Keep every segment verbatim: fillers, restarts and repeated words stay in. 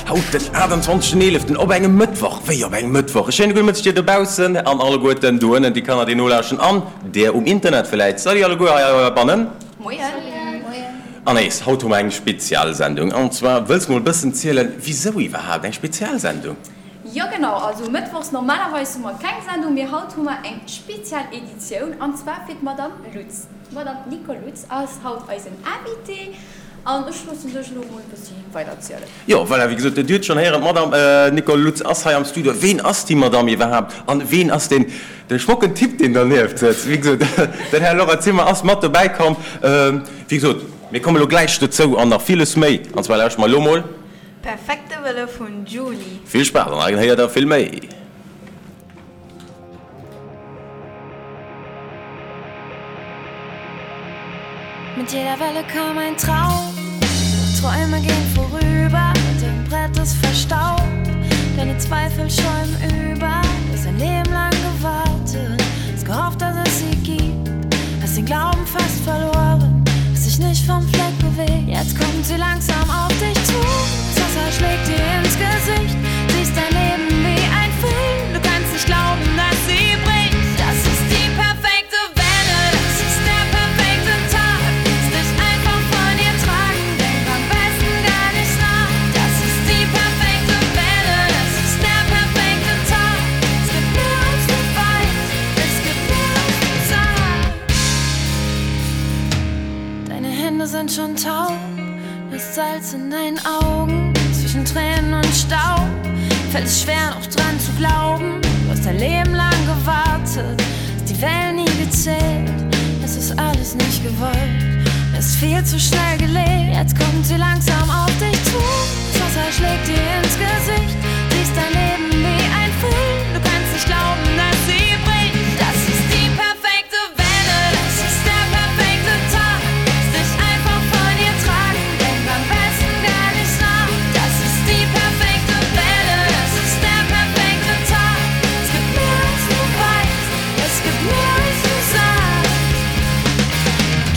Haut den aachtenzwanzegsten eeleften op engem Mëttwoch. Wéi op engem Mëttwoch? E schéine gudde Mëtteg dir dobaussen an alleguerten do ënnen, déi Kanner déi nolauschten an där um Internet vläit. Salut alleguer hei heibannen. Moien. Anaïs, haut hu mer eng Spezialsendung. An zwar wëlls mol bëssen zielen, wisou iwwerhaapt eng Spezialsendung? Jo genau, also mëttwochs normalerweis hu mer keng Sendung, mee haut hu mer eng spezial Editioun an zwar fir d'Madame Lutz. D'Madame Nicole Lutz ass haut eisen Invité an ech loossen dech elo mol e bëssi weider zielen. Jo, voilà, wéi gesot, Dir hutt schonn héieren, d'Madame Nicole Lutz ass hei am Studio. Ween ass déi Madame iwwerhaapt an ween ass deen, dee schmocken Typ, deen dernieft sëtzt? Wéi gesot, den Här Laurent Zimmer ass mat dobäi komm. Wéi gesot, mir komme lo gläich dozou an nach villes méi. An zwar lauschte mer elo mol. Perfekte Welle vun Julie. Vill Spaass an hei héiert der vill méi. Mit jeder Welle kam ein Traum, doch Träume gehen vorüber, dein Brett ist verstaubt, deine Zweifel schäumen über. Du hast ein Leben lang gewartet, hast gehofft, dass es sie gibt, hast den Glauben fast verloren, hast dich nicht vom Fleck bewegt. Jetzt kommt sie langsam auf dich zu, das Wasser schlägt dir ins Gesicht, siehst dein Leben wie ein Film, du kannst nicht glauben, dass sie bricht. Das ist die perfekte Welle, das ist der perfekte Tag, lass dich einfach von ihr tragen, denk am besten gar nicht nach. Das ist die perfekte Welle, das ist der perfekte Tag, es gibt mehr als du weißt, es gibt mehr als du sagst. Deine Hände sind schon taub, das Salz in deinen Augen, zwischen Tränen und Staub, fällt es schwer noch dran zu glauben. Du hast dein Leben lang gewartet, hast die Wellen nie gezählt, es ist alles nicht gewollt, es ist viel zu schnell gelebt. Jetzt kommt sie langsam auf dich zu, das Wasser schlägt dir ins Gesicht, siehst dein Leben wie ein Film, du kannst nicht glauben, dass sie bricht. Das ist die perfekte Welle, das ist der perfekte Tag, lass dich einfach von ihr tragen, denk am besten gar nicht nach. Das ist die perfekte Welle, das ist der perfekte Tag, es gibt mehr als du weißt, es gibt mehr als du sagst.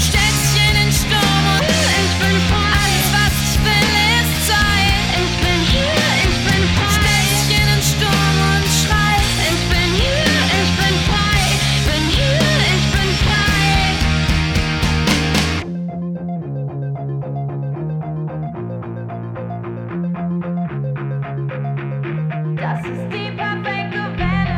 Stellt sich in den Sturm und ich bin frei. Alles was ich will ist Zeit. Ich bin hier, ich bin frei. Stellt sich in den Sturm und schrei. Ich bin hier, ich bin frei. Bin hier, ich bin frei. Das ist die perfekte Welle.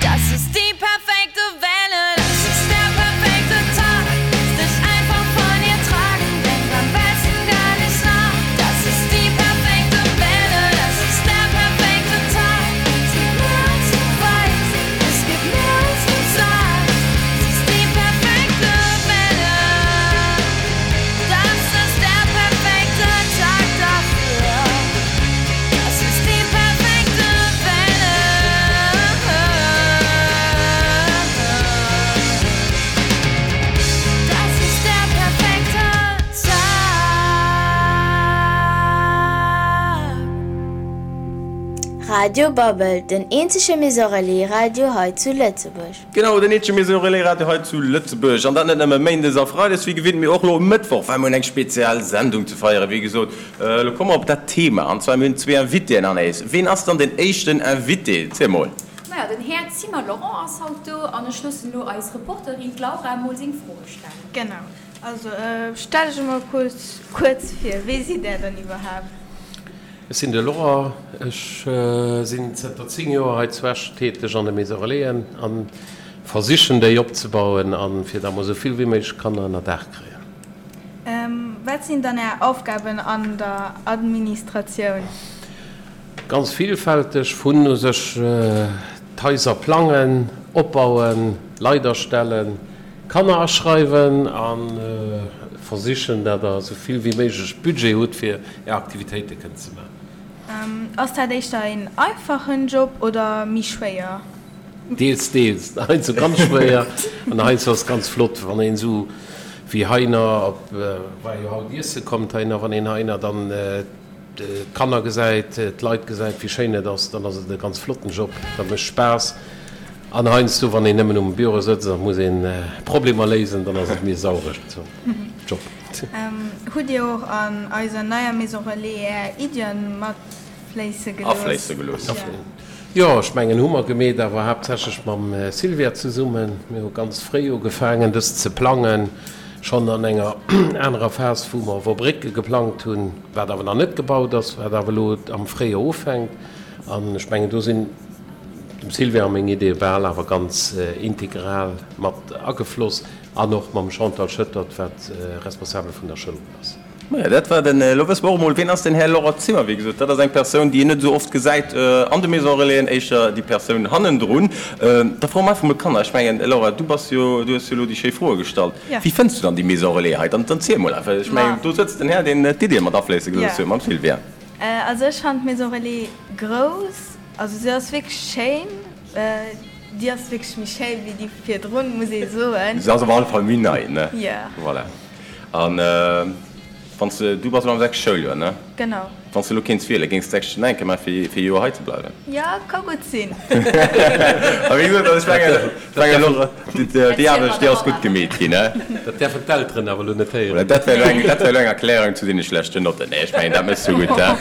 Das ist die perfekte Welle, das ist der perfekte Tag. Lass dich einfach von ihr tragen, denk am besten gar nicht nach. Das ist die perfekte Welle, das ist der perfekte Tag. Es gibt mehr als du weißt, es gibt mehr als du sagst. Es ist die perfekte Welle, das ist der perfekte Tag dafür. Das ist die perfekte Welle. Das ist der perfekte Tag. Radio Babbel, den eenzege Maison Relais Radio hei zu Lëtzebuerg. Genau, den eenzege Maison Relais Radio hei zu Lëtzebuerg. An dat net nëmme méindes a freides wéi gewinnt, mee och lo um Mëttwoch, well mir hunn eng spezial Sendung ze feieren. Wéi gesot, lo komme mer op dat Thema. An zwar mir hunn zwee Invitéen, Anaïs. Ween ass dann den éischten Invité? Ziel mol. Maja, den Här Zimmer Laurent ass haut do an ech loossen elo eis Reporterin d'Laura mol seng Froe stellen. Genau. Also stell dech emol kuerz, kuerz vir. Wee sidd Där dann iwwerhaapt? Ech sinn de Laurent, ech sinn zënter zéng Joer hei zu Esch täteg an de Maison Relaisen a versichen déi opzebauen a fir datt mer esou vill wéi méiglech Kanner ënner Daach kréien. Wat sinn dann Är Aufgaben an der Administratioun? Ganz villfälteg, vun u sech d'Haiser plangen, opbauen, Leit astellen, Kanner aschreiwen a versichen, datt Der esou vill wéi méiglech Budget hutt, fir Är Aktivitéite kënnen ze maachen. Ass dat éischter een einfachen Job oder méi schwéier? Deels, deels. Heiansdo ganz schwéier an heiansdo ass et ganz flott, wann een esou wéi heiner op, war jo haut iesse kommt heiner, wann een heiner dann d'Kanner gesäit, d'Leit gesäit, wéi schéin et ass, dann ass et e ganz flotten Job, dat mécht Spaass. An heiansdo, wann een nëmmen um Büro sëtzt a muss een Problemer léisen, dann ass et méi e sauregen Job. Hutt Dir och an eiser neier Maison Relais Är Iddien matfléisse gelooss? Afléisse gelooss. Jo, ech mengen, hu mer gemeet, awer haaptsächlech mam Sylvia zesummen. Mir hu ganz fréi ugefaangen, dëst ze plangen, schonn an enger anerer Phas, wou mer Wobrécke geplangt hunn, wat awer nach net gebaut ass, wat awer elo am Fréijoer ufänkt. An ech mengen, do sinn dem Sylvia a meng Ideeë bal awer ganz integral mat agefloss an och mam Chantal Schoettert, wat Responsabel vun der Schoul ass. Maja, dat war den. Elo wësse mer och emol, wien ass den Här Laurent Zimmer. Wéi gesot, dat ass eng Persoun, déi een net esou oft gesäit an de Maisons Relaisen, éischter déi Persoun hannendrun. Da froe mer einfach emol d'Kanner. Ech mengen, Laura, du bass jo, du hues jo elo déi schéi Froe gestallt. Wéi fënns du dann déi Maison Relais hei? Dann ziel emol einfach. Ech mengen, do sëtzt den Här, deen d'Iddie mat afléisse gelooss huet, mam Sylvia. Also ech fannen d'Maison Relais grouss. Also se ass wierklech schéin. Déi ass wierklech méi schéi wéi déi virdrun, muss ee soen. Se ass op alle Fall méi nei, ne? Jo. Voilà. An wann s de, du bass elo am sechste Schouljoer, ne? Genau. Wann s de elo kéints wielen, géings de d'sechst nach eng Kéier maachen, fir fir e Joer hei ze bleiwen? Jo, ka gutt sinn. A wéi gesot, also ech mengen, ech mengen elo, déi Aarbecht, déi ass gutt gemeet ginn, ne? Dat däerfen d'Elteren awer elo net héieren. Voilà, dat wär elo eng, dat wär elo eng Erklärung zu deene schlechten Notten. Nee, ech mengen, dat méchs du gutt, he?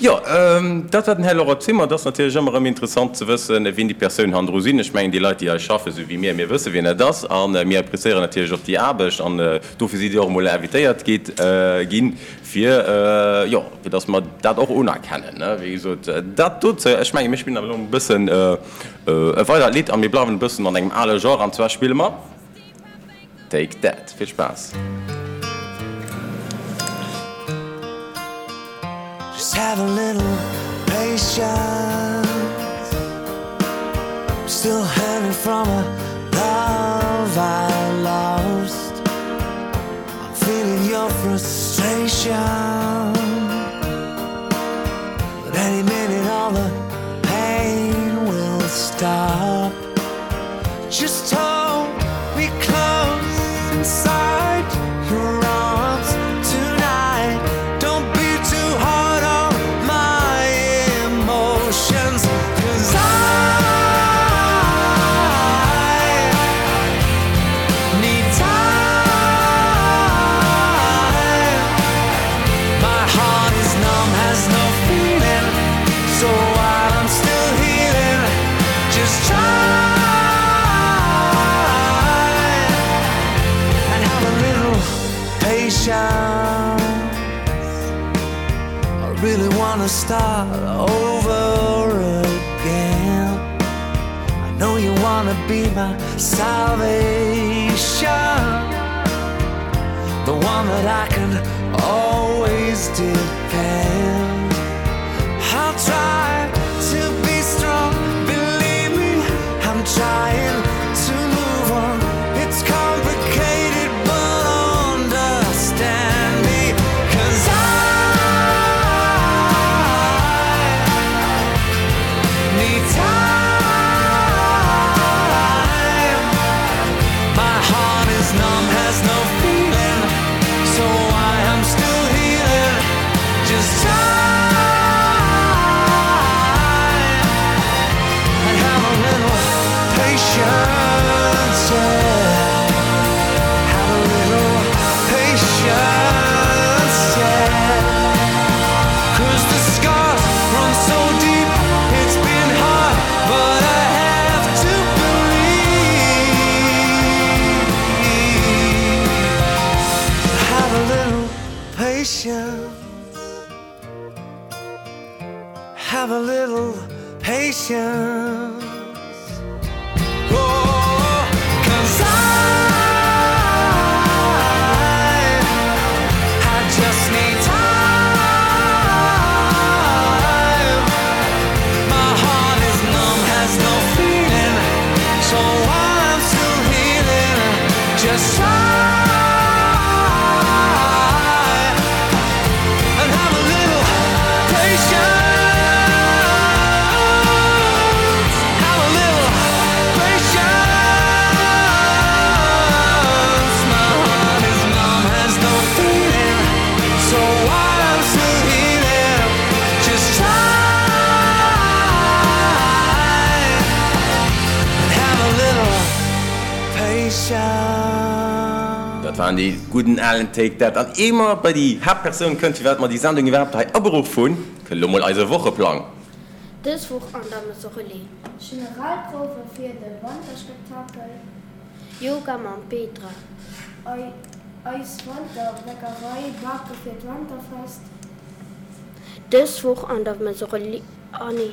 Jo, dat war den Här Laurent Zimmer. Et ass natierlech ëmmer erëm interessant ze wëssen, wien déi Persounen hannendru sinn. Ech mengen, déi Leit, déi hei schaffen, esou wéi mir, mir wësse wien dat ass a mir appréciéieren natierlech och déi Aarbecht an dofir sidd Dir och emol invitéiert gitt, ginn, fir, jo, fir datt mer dat och unerkennen, ne. Wéi gesot, dat dozou. Ech mengen, mir spillen awer elo e bëssen e weidert Lidd a mir bleiwen e bëssen an engem ale Genre, an zwar spille mer Take That. Vill Spaass! Just have a little patience I'm still hurting from a love I lost I'm feeling your frustration But any minute all the pain will stop Just hold me close inside your arms tonight Don't be too hard on my emotions 'Cause I need time My heart is numb, has no feeling So while I'm still healing Just try And have a little patience I really wanna start over again I know you wanna be my salvation The one that I can always depend I'll try to be strong, believe me I'm trying to move on It's complicated but understand me 'Cause I need time My heart is numb, has no feeling So I am still healing Just try And have a little patience, yeah Have a little patience, yeah 'Cause the scars run so deep It's been hard, but I have to believe Have a little patience Have a little patience Oh, 'cause I I just need time My heart is numb, has no feeling So while I'm still healing Just try And have a little patience Have a little shout. Dat waren déi gudden alen Take That. An ier mer bei déi Haaptpersoun kënnt, firwat mer déi Sendung iwwerhaapt hei aberuff hunn, kënnt elo mol eise Wocheplang. Dës Woch an der Maison Relais. Generalprouwe fir de Wanterspektakel. Yoga mam Petra. Eis Wanterbäckerei bake fir d'Wanterfest. Dës Woch an der Maison Relais, ah nee.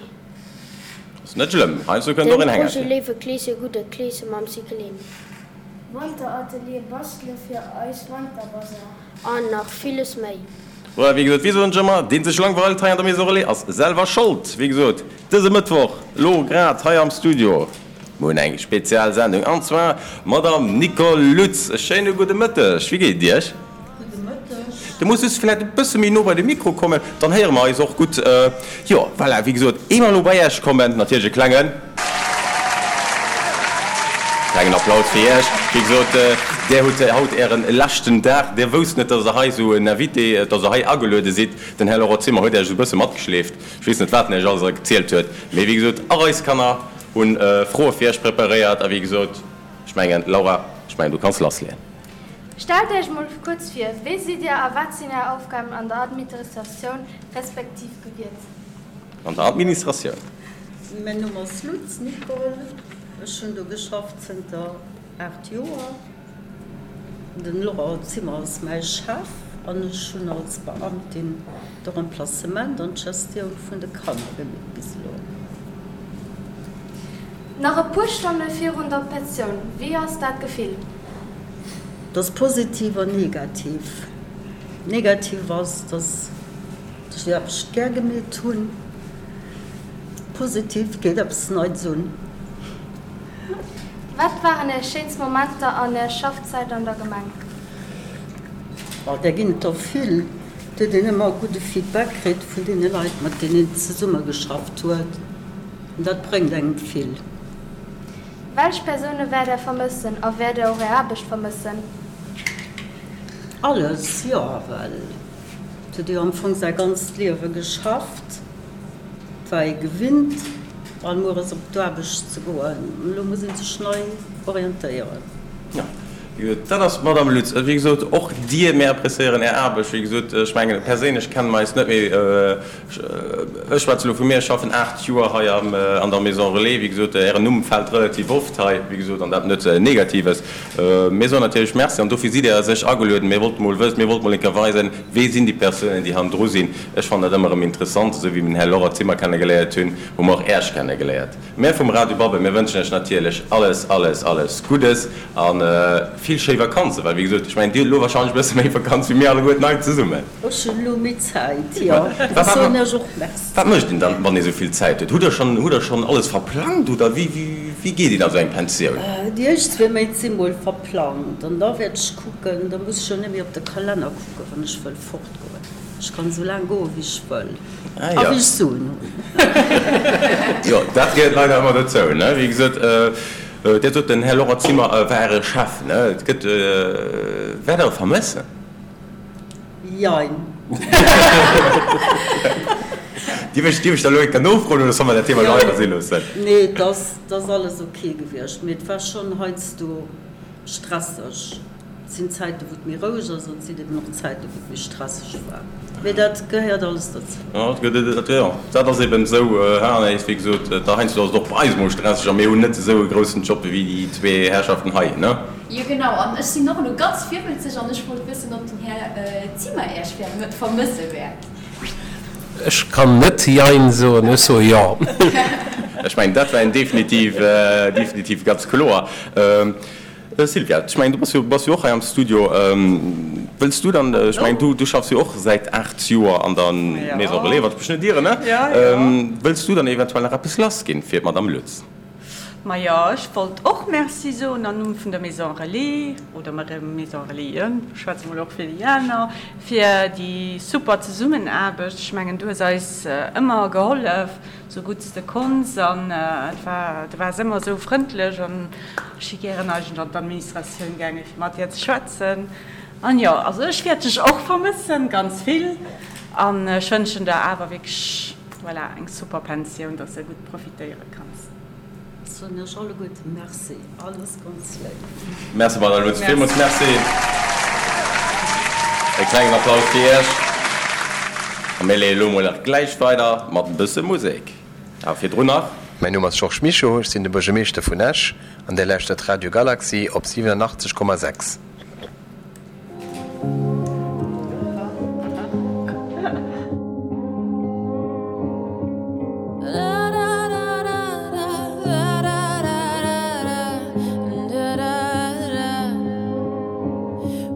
Ass net schlëmm, heiansdo kënnt och Den en Projet Hängerchen. Léiwe Kleeschen, gudde Kleesche mam Cycling. Wanteratelier bastele fir eis Wanterbasar. An nach villes méi. Voilà, wéi gesot, wéi soen ech ëmmer, deen sech langweilt hei an der Maison Relais ass selwer Schold. Wéi gesot, dëse Mëttwoch, lo grad hei am Studio, mir hunn eng spezial Sendung, an zwar d'Madame Nicole Lutz. E schéine gudde Mëtteg, wéi geet et Iech? Gudde Mëtteg. Du muss just vläicht e bësse méi no bei de Mikro kommen, dann héiere mer eis och gutt. Jo, voilà, wéi gesot, ier mer elo bei Iech kommen, natierlech e klengen, klengen Applaus fir Iech. Wéi gesot, Där hutt haut Ären leschten Dag. Dir wousst net, dass Der hei esou en Invité, dass Der hei ageluede sidd. Den Här Laurent Zimmer huet Iech esou e bësse matgeschleeft. Ech weess net, wat en Iech alles erzielt huet, mee wéi gesot, och eis Kanner hu Froe fir Iech preparéiert. A wéi gesot, ech mengen, Laura, ech mengen, du kanns lassleeën. Stellt Iech mol kuerz vir, Wie sidd Dir a wat sinn Är Aufgaben an der Administratioun respektiv gewiert? An der Administratioun. Mäin Numm ass Lutz Nicole, ech hunn do geschafft zënter aacht Joer. Den Laurent Zimmer ass mäi Chef an ech hunn als Beamtin de Remplacement an d'Gestioun vun de Kanner gemeet bis elo. Nach e puer Stonne virun der Pensioun, wéi ass dat Gefill? Et ass positiv an negativ. Negativ ass, dass ech déi Aarbecht gär gemeet hunn. Positiv, et geet eppes Neits un. Wat waren Är schéinst Momenter an Är Schaffzäit an der Gemeng? Oh, där ginn et der vill. Et huet een ëmmer e gudde Feedback kritt vun deene Leit, mat deenen een zesummegeschafft huet. An dat bréngt engem vill. Welch Persoune wäert Där vermëssen a wäert Där och Är Aarbecht vermëssen? Alles, jo, well et huet ee jo am Fong säi ganzt Liewe geschafft, et war ee gewinnt, all mueres op d'Aarbecht ze goen. Elo muss ee sech nei orientéieren. Jo, wéi gesot, dat ass d'Madame Lutz. Wéi gesot, och Dir, mir appréciéieren Är Aarbecht. Wéi gesot, ech mengen, perséinlech kenne mer eis net, mee ech schwätze elo vu mir, ech schaffen aacht Joer hei an der Maison Relais. Wéi gesot, Ären Numm fält relativ oft hei, wéi gesot, an dat net Negatives. Mir soen natierlech Merci an dofir sidd Dir a sech agelueden. Mir wollte mol wëssen, mir wollte mol eng Kéier weisen, wee sinn déi Persounen, déi hannendru sinn. Ech fannen dat ëmmer erëm interessant. Esou wéi mir den Här Laurent Zimmer kennegeléiert hunn, hu mer och Äech kennegeléiert. Mär vum Radio Babbel, mir wënschen Iech natierlech alles, alles, alles Guddes a vill schéi Vakanzen, well wéi gesot, ech mengen, Dir hutt elo wahrscheinlech e bësse méi Vakanz wéi mir alleguerten hei zesummen. Ech hunn elo méi Zäit, jo. Ech soen Iech och Merci. Wat mécht een dann, wann ee sou vill Zäit huet? Hutt Der schonn, hutt Der schonn alles verplangt oder wéi, wéi geet een a sou eng Pensioun? Déi éischt zwee Méint si mol verplangt an da wäert ech kucken, da muss ech jo net méi op de Kalenner kucken, wann ech wëll fortgoen. Ech kann esou laang goen, wéi ech wëll a wéi ech Suen hunn. Jo, dat gehéiert leider ëmmer dozou, ne? Wéi gesot, Dir sot, den Här Laurent Zimmer war Äre Chef, ne? Et gëtt, wäert Der e vermëssen? Jein. Dierf ech, dierf ech da elo eng Kéier nofroen oder solle mer dat Thema elo einfach si loossen? Nee, et ass, et ass alles ok gewiescht, mee et war schonn heiansdo stresseg. Et sinn Zäiten, wou et méi roueg ass an et sinn eben och Zäiten, wou et méi stresseg war. Mee dat gehéiert alles dozou. Jo, dat gëtt, jo, dat ass eben esou, Här Anaïs. Wéi gesot, da heiansdo ass et och bei eis emol stresseg a mir hunn net esou e groussen Job wéi déi zwee Herrschaften hei, ne? Jo, genau. An ech sinn och elo ganz virwëlzeg an ech wollt wëssen, ob den Här Zimmer Iech vermësse wäert. Ech kann net Jein soen, ech soe Jo. Ech mengen, dat war en definitiv, definitiv ganz kloer. Sylvia, ech mengen, du bass jo, bass jo och hei am Studio. Wëlls du dann, ech mengen, du, du schaffs jo och säit aacht Joer an der Maison Relais, wann ech mech net ieren, ne? Wëlls du dann eventuell nach eppes lassginn fir d'Madame Lutz? Majo, ech wollt och Merci soen am Numm vun der Maison Relais, oder Maison Relaisen, ech schwätze mol och fir déi aner, fir déi super Zesummenaarbecht. Ech mengen, du hues eis ëmmer gehollef, sou gutt s de konns, an et war, du waars ëmmer esou frëndlech an ech si gären eigentlech an d'Administratioun gaangen, fir mat dir ze schwätzen. An jo, also ech wäert dech och vermëssen, ganz vill, an ech wënschen der awer wierklech, voilà, eng super Pensioun, dass de gutt profitéiere kanns. soen Iech alleguerte Merci, alles ganz léif. Merci Madame Lutz, villmools Merci. E klengen Applaus fir Iech. A mir leeë lo mol nach gläich weider mat e bësse Musek. Awer virdrun nach. Mäin Numm ass Georges Mischo, ech sinn de Buergermeeschter vun Esch an Dir lauschtert Radio Galaxy op siwenenachtzeg Komma sechs.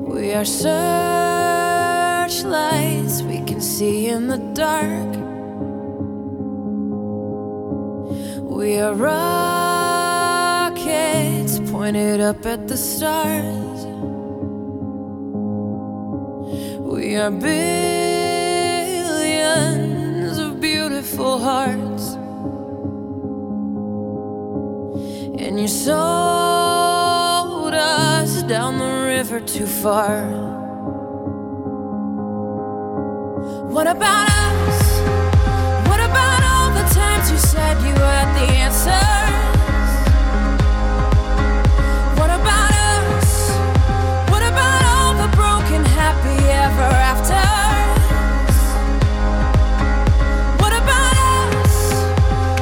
We are searchlights we can see in the dark. We are rockets pointed up at the stars. We are billions of beautiful hearts. And you sold us down the river too far. What about us? What about all the times you said you had the answers? What about us? What about all the broken happy ever afters? What about us?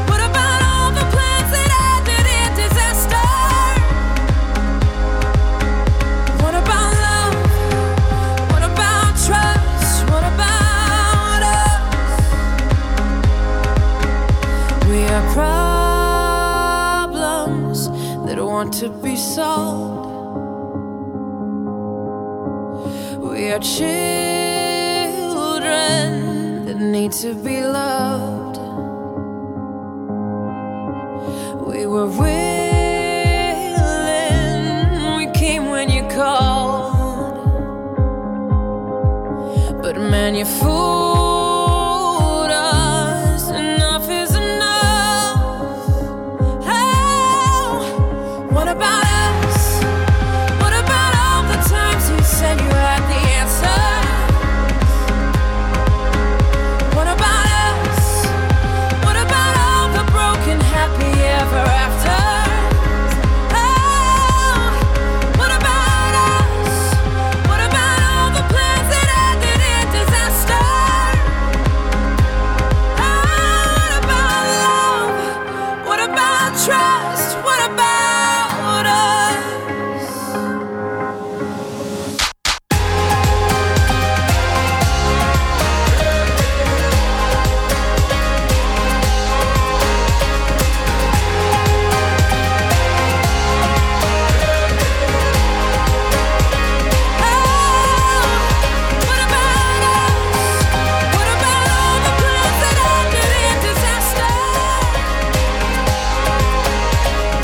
What about all the plans that ended in disaster? What about love? What about trust? What about us? We are problems that want to be solved. We are children that need to be loved. We were willing, we came when you called. But man, you fooled us. Enough is enough. Oh, what about us? What about all the times you said you had the answer? What about us? What about all the broken happy ever afters? Oh, what about us? What about all the plans that ended in disaster? Oh, what about love? What about trust? What about us? What about all the plans that ended in disaster?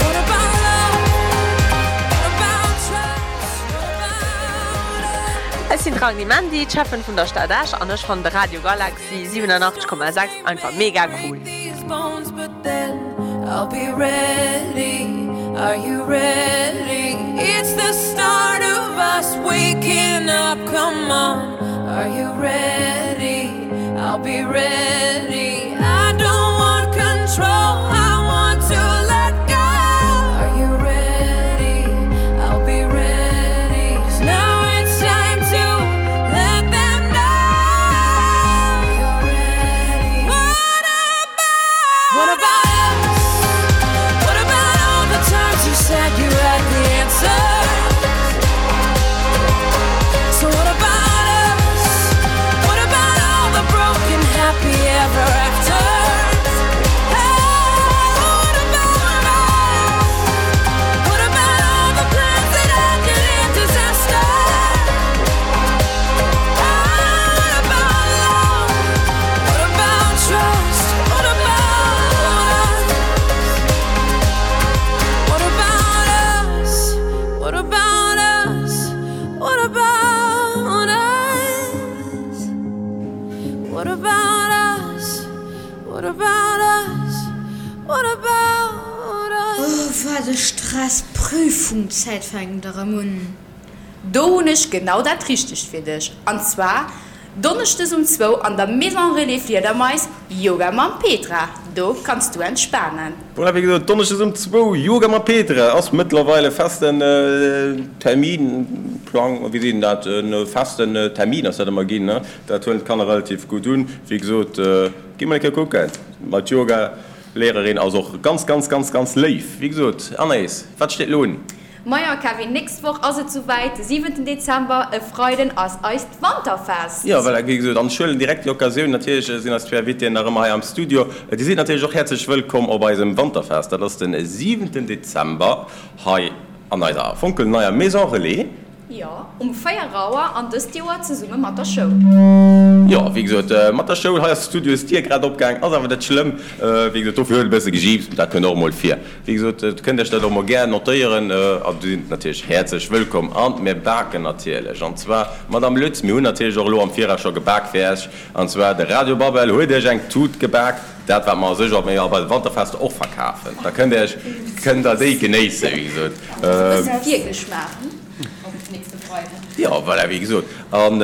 What about love? What about trust? What about Ech sinn d'Ragni Mendy, d'Schäffen vun der Stad Esch an ech fannen de Radio Galaxy siwenenachtzeg Komma sechs einfach mega cool. these bones, but then I'll be ready. Are you ready? It's the start of us waking up. Come on, are you ready? I'll be ready. I don't want control, I want to let go. Are you ready? I'll be ready. 'Cause now it's time to let them know. You're ready. What about? What about us? What about all the times you said you had the answer? So what about us? What about all the broken happy ever afters? Hey, what about us? What about all the plans that ended in disaster? Oh, what about love? What about trust? What about us? What about us? What about us? What about us? What about us? What about us? What about us? Oh, wat e Stress, Prüfungszäit fänkt erëm un. Do hunn ech genau dat Richtegt fir dech, an zwar donneschdes um zwou an der Maison Relais Fliedermais, Yoga mam Petra. Do kanns du entspanen. Voilà, wéi gesot, Donneschdes um zwou, Yoga mat Petre ass mëttlerweil e festen Terminplang, wéi seet een dat, e festen Termin ass dat ëmmer ginn, ne? Dat huelen d'Kanner relativ gutt un. Wéi gesot, gi mol eng Kéier kucken, ma d'Yoga-Lehrerin ass och ganz, ganz, ganz, ganz léif. Wéi gesot, Anaïs, wat steet elo un? Majo Kevin, nächst Woch ass et souwäit, de siwenten Dezember, e Freiden ass eist Wanterfest! Jo, voilà, wéi gesot, an ech huelen direkt déi Occasioun, natierlech sinn eis zwee Invitéen nach ëmmer hei am Studio, Dir sidd natierlech och häerzlech wëllkomm op eisem Wanterfest, dat ass de siwenten Dezember hei an eiser fonkelneier Maison Relais. Jo, um véier Auer an dëst Joer zesumme mat der Schoul. Jo, wéi gesot, mat der Schoul. Hei ass d'Studiosdier grad opgaang, ass awer net schlëmm. Wéi gesot, dofir huet e bësse gejiipt, dat kënnt och emol vir. Wéi gesot, Dir kënnt Iech dat och emol gär notéieren a Dir sidd natierlech häerzlech wëllkomm. An mir baken natierlech, an zwar d'Madame Lutz, mir hunn natierlech och elo am Viraus scho gebak fir Iech, an zwar de Radio Babbel huet Iech eng Tut gebak, dat wat mer a sech och bei de Wanterfester och verkafen. Da kënnt Iech, kënnt Der déi genéissen, wéi gesot. E bësse Virgeschmaach, hm? Op nächste Freiden. Jo, voilà, wéi gesot. An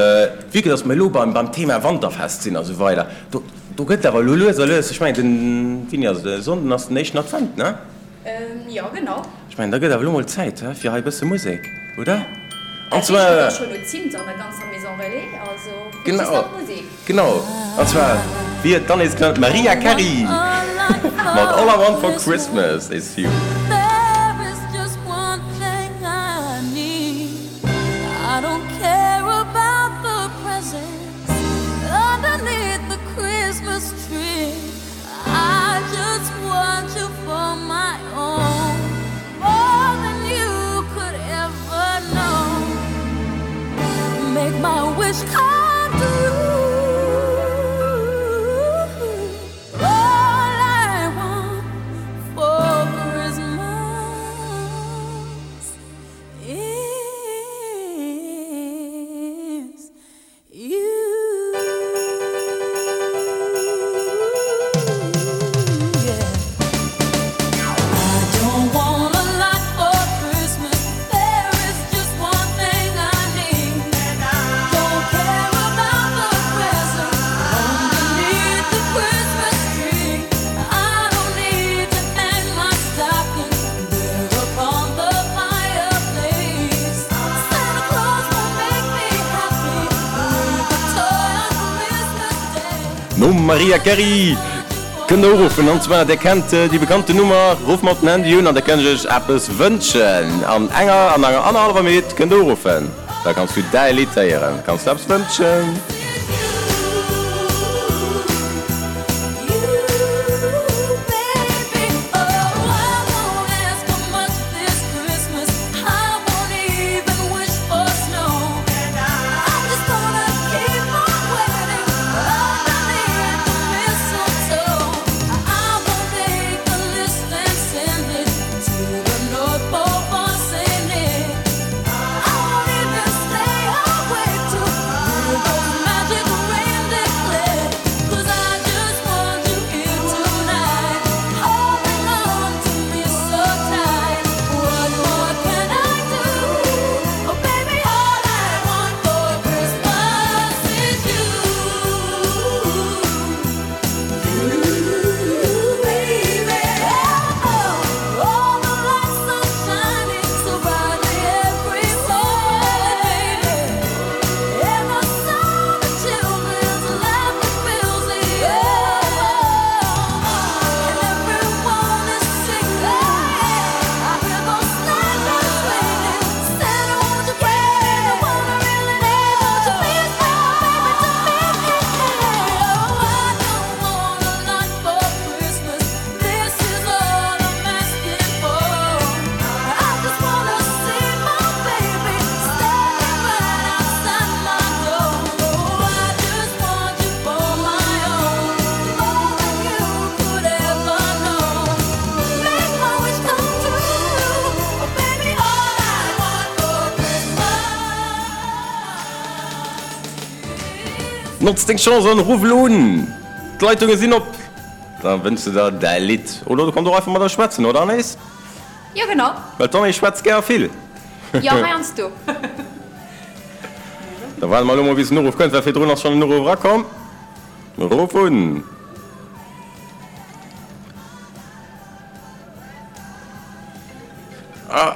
vue que dass mer elo beim, beim Thema Wanterfest sinn a sou weider, do, do gëtt awer elo lues a lues, ech mengen, den, wéini ass et, e Sonnden ass den éischten Advent, ne? Jo, genau. Ech mengen, da gëtt awer elo mol Zäit, he, fir hei e bësse Musek, oder? An Dat heescht zwar. jo scho no Zimt an der ganzer Maison Relais, also fir Genau, just nach Musek. genau. An zwar, wéi et dann nees klëngt, d'Mariah Carey mat All I Want for Christmas is You. Nom Mariah Carey kënnt der uruffen, an zwar der kennt déi bekannten Nummer, rufft mer op den Handy un an da kënnt ech iech eppes wënschen. An enger, an enger annerhallwer Minutt kënnt der uruffen, da kanns du däi Lidd héieren, kanns der eppes wënschen. Notz deng Chance an ruff elo un! D'Leitunge sinn op! Da wënschs de der däi Lidd. Oder du kanns och einfach mat eis schwätzen, oder Anaïs? Jo, genau. Well d'Anaïs schwätzt gär a vill. Jo, heiansdo. Da waarde mer elo mol bis en Uruff kënnt, well virdrun ass schonn en Uruff erakomm. Ruff un! Ah,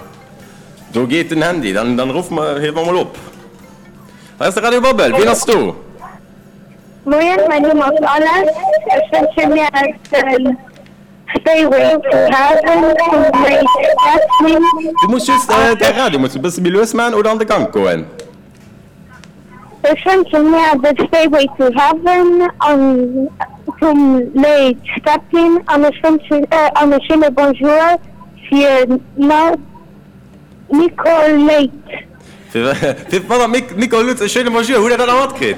do geet den Handy. Dann, dann ruffe mer, hiewe mer mol op. Hei ass de Radio Babbel. Wien ass do? Moien, mäin Numm ass Alex. Ech wënsche mir den Stairway to Heaven vum Led Zeppelin. Du muss just däi Radio muss e bësse méi lues maachen oder an de Gank goen. Ech wënsche mir de Stairway to Heaven an vum Led Zeppelin an ech wënschen an e schéine Bonjour fir d'Nicole Leyt. Fir d'Madame Nicole Lutz e schéine Bonjour. Hutt Der dat nach matkritt?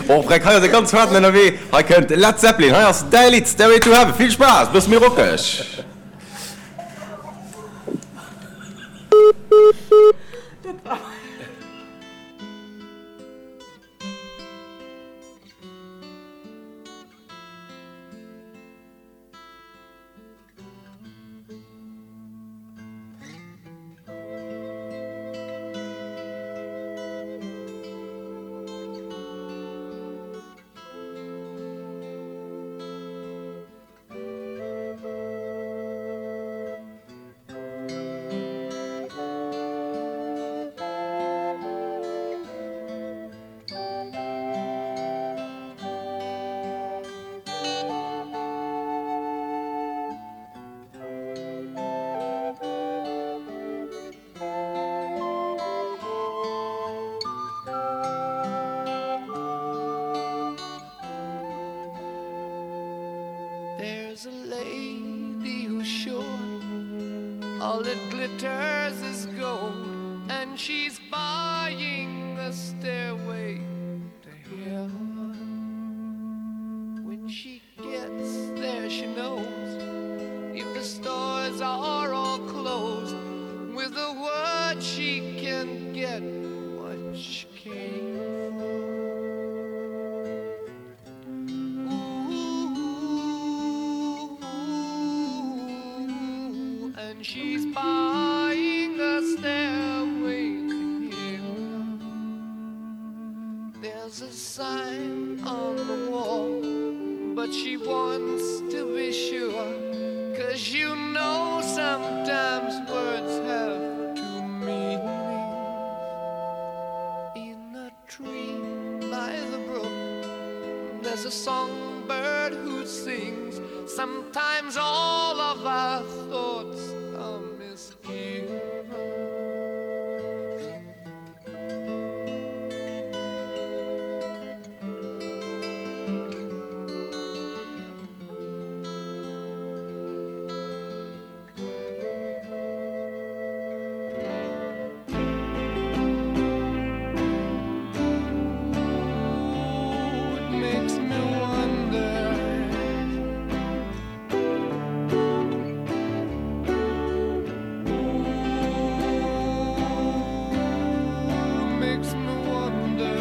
Oh Freck, hei ass e ganz haarten ënnerwee. Hei kënnt Led Zeppelin. Hei ass däi Lidd Stairway to Heaven. Vill Spaass, bësse méi rockeg. There's a lady who's sure all that glitters is gold and she's buying a stairway to heaven when she gets there she knows if the stores are all closed with a word she can get what she came for Ooh, and she's buying a stairway to heaven There's a sign on the wall but she wants to be sure cause you know sometimes words have two meanings In a tree by the brook there's a songbird who sings sometimes all of our thoughts are misgiven It makes me wonder Ooh, makes me wonder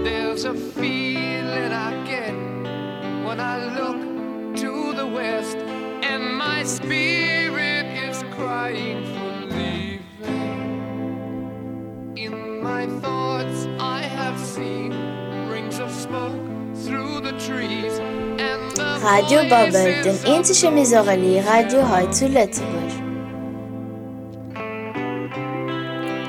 There's a feeling I get when I look to the west and my spirit is crying for leaving In my thoughts I have seen rings of smoke through the trees and the Radio Babbel, den eenzege Maison Relais Radio hei zu Lëtzebuerg.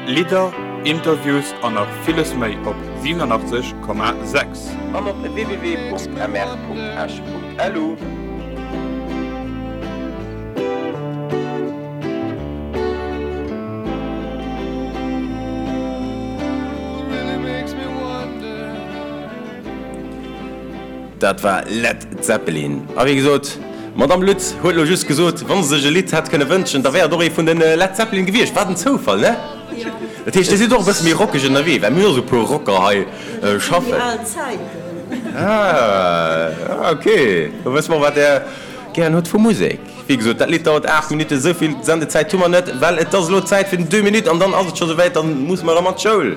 Lidder, Interviews an nach villes méi op siewenundachtzeg Komma sechs. An op www.mr.esch.lu. Dat war Led Zeppelin. A wéi gesot, d'Madame Lutz huet elo just gesot, wa se sech e Lidd hätt kënne wënschen, da wär et och ee vun de Led Zeppelin gewiescht. Wat en Zoufall, ne? Dat heescht, Dir sidd och e bësse méi rockeg ënnerwee, well mir hu jo esou e puer Rocker hei schaffen. Déi al Zäiten. Ah, ok. Da wësse mer, wat Der gären hutt vu Musek. Wéi gesot, dat Lidd dauert aacht Minutten. Esou vill Sendezäit hu mer net, well et ass elo Zäit fir den Deux Minutes an dann ass et scho souwäit, dann musse mer erëm an d'Schoul.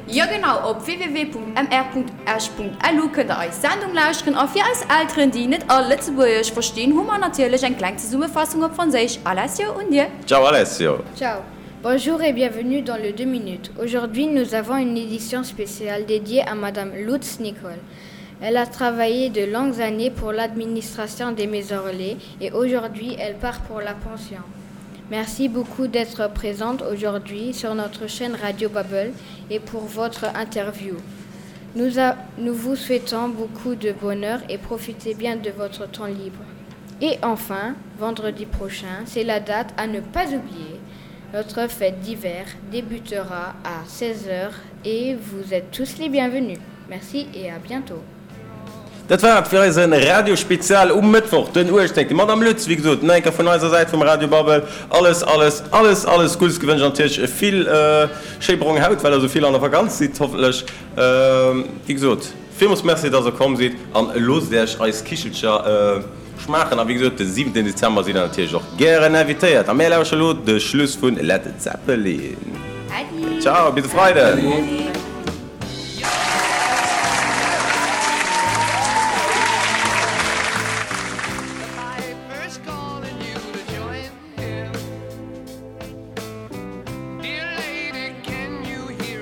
Jo genau, op www.mr.esch.lu kënnt der eis Sendung lauschteren a fir eis Elteren déi net all Lëtzebuergesch verstinn hu mer natierlech eng kleng Zesummefassung op Franséisch. Alessio, un dir. Ciao Alessio. Ciao. Bonjour et bienvenue dans le deux minutes. Aujourd'hui, nous avons une édition spéciale dédiée à Madame Lutz Nicole. Elle a travaillé de longues années pour l'administration des maisons relais et aujourd'hui elle part pour la pension. Merci beaucoup d'être présente aujourd'hui sur notre chaîne Radio Babel et pour votre interview. Nous, a, nous vous souhaitons beaucoup de bonheur et profitez bien de votre temps libre. Et enfin, vendredi prochain, c'est la date à ne pas oublier. Notre fête d'hiver débutera à seize heures et vous êtes tous les bienvenus. Merci et à bientôt. Dat war et fir eise Radiospezial um Mëttwoch, den uechtzéngten Madame Lutz, wéi gesot, nach eng Kéier vun eiser Säit vum Radio Babbel alles, alles, alles, alles Guddes gewënscht an natierlech vill schéi brong Haut, well der esou vill an der Vakanz sidd, hoffentlech. Wéi gesot, villmools Merci, dass der komm sidd an loosst Iech eis Kichelcher schmaachen. A wéi gesot, de siwenten Dezember sidd der natierlech och gären invitéiert. A mär lauschteren elo de Schluss vun Led Zeppelin. Äddi! Ciao, bis e Freiden!